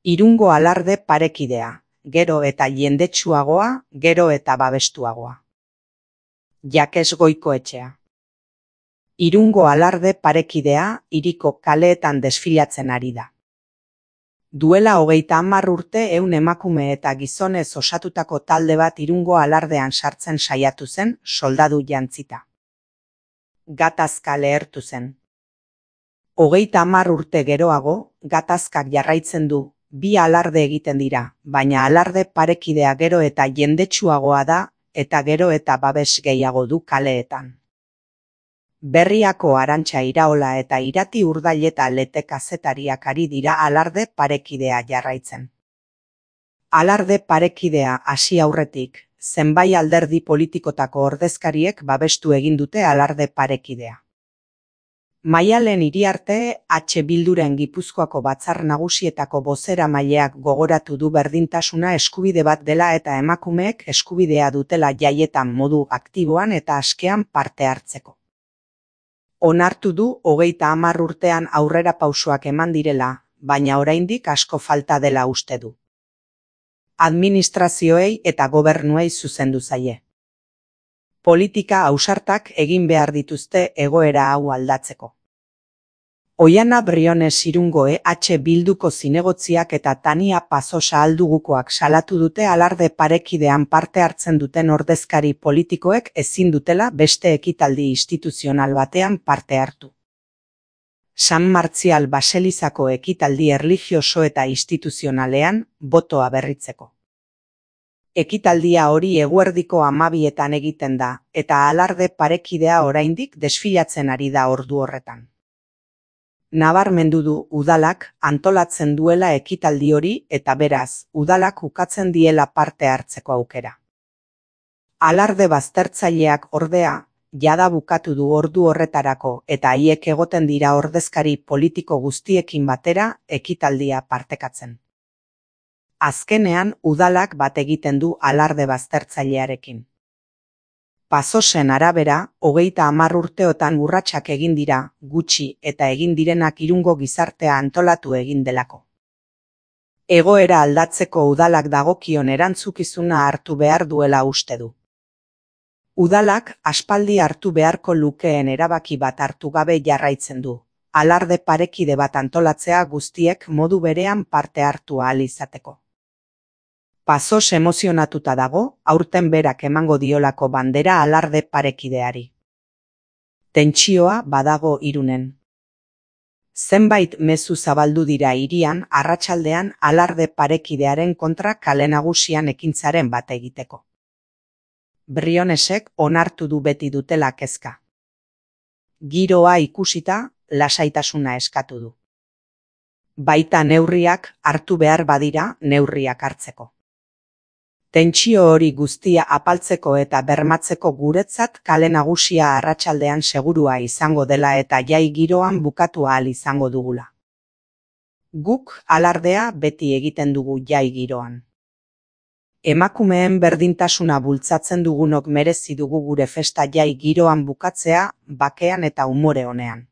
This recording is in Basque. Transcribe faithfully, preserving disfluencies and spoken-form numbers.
Irungo alarde parekidea, gero eta jendetsuagoa, gero eta babestuagoa. Jakes Goikoetxea. Irungo alarde parekidea hiriko kaleetan desfilatzen ari da. Duela hogeita hamar urte ehun emakume eta gizonez osatutako talde bat Irungo alardean sartzen saiatu zen, soldadu jantzita. Gatazka lehertu zen. Hogeita hamar urte geroago, gatazkak jarraitzen du, bi alarde egiten dira, baina alarde parekidea gero eta jendetsuagoa da, eta gero eta babes gehiago du kaleetan. Berriako Arantxa Iraola eta Irati Urdaileta Lete kazetariak ari dira alarde parekidea jarraitzen. Alarde parekidea hasi aurretik, zenbait alderdi politikotako ordezkariek babestu egin dute alarde parekidea. Maialen Iriarte H. Bilduren Gipuzkoako Batzar Nagusietako bozeramaileak gogoratu du berdintasuna eskubide bat dela eta emakumeek eskubidea dutela jaietan modu aktiboan eta askean parte hartzeko. Onartu du hogeita hamar urtean aurrera pausoak eman direla, baina oraindik asko falta dela uste du. Administrazioei eta gobernuei zuzendu zaie. Politika ausartak egin behar dituzte egoera hau aldatzeko. Oiana Briones Irungo E H Bilduko zinegotziak eta Tania Pazosa Aldugukoak salatu dute alarde parekidean parte hartzen duten ordezkari politikoek ezin dutela beste ekitaldi instituzional batean parte hartu. San Martzial Baselizako ekitaldi erlijioso eta instituzionalean botoa berritzeko. Ekitaldia hori eguerdiko hamabietan egiten da, eta alarde parekidea oraindik desfilatzen ari da ordu horretan. Nabarmendu du udalak antolatzen duela ekitaldi hori eta beraz, udalak ukatzen diela parte hartzeko aukera. Alarde baztertzaileak ordea, jada bukatu du ordu horretarako eta haiek egoten dira ordezkari politiko guztiekin batera ekitaldia partekatzen. Azkenean, udalak bat egiten du alarde baztertzailearekin. Pazosen arabera, hogeita hamar urteotan urratsak egin dira, gutxi eta egin direnak Irungo gizartea antolatu egin delako. Egoera aldatzeko udalak dagokion erantzukizuna hartu behar duela uste du. Udalak aspaldi hartu beharko lukeen erabaki bat hartu gabe jarraitzen du, alarde parekide bat antolatzea guztiek modu berean parte hartu ahal izateko. Pazos emozionatuta dago, aurten berak emango diolako bandera alarde parekideari. Tentsioa badago Irunen. Zenbait mezu zabaldu dira hirian arratsaldean alarde parekidearen kontra kale nagusian ekintzaren bat egiteko. Brionesek onartu du beti dutela kezka. Giroa ikusita, lasaitasuna eskatu du. Baita neurriak hartu behar badira neurriak hartzeko. Tentsio hori guztia apaltzeko eta bermatzeko guretzat kale nagusia arratsaldean segurua izango dela eta jai giroan bukatu ahal izango dugula. Guk alardea beti egiten dugu jai giroan. Emakumeen berdintasuna bultzatzen dugunok merezi dugu gure festa jai giroan bukatzea, bakean eta umore onean.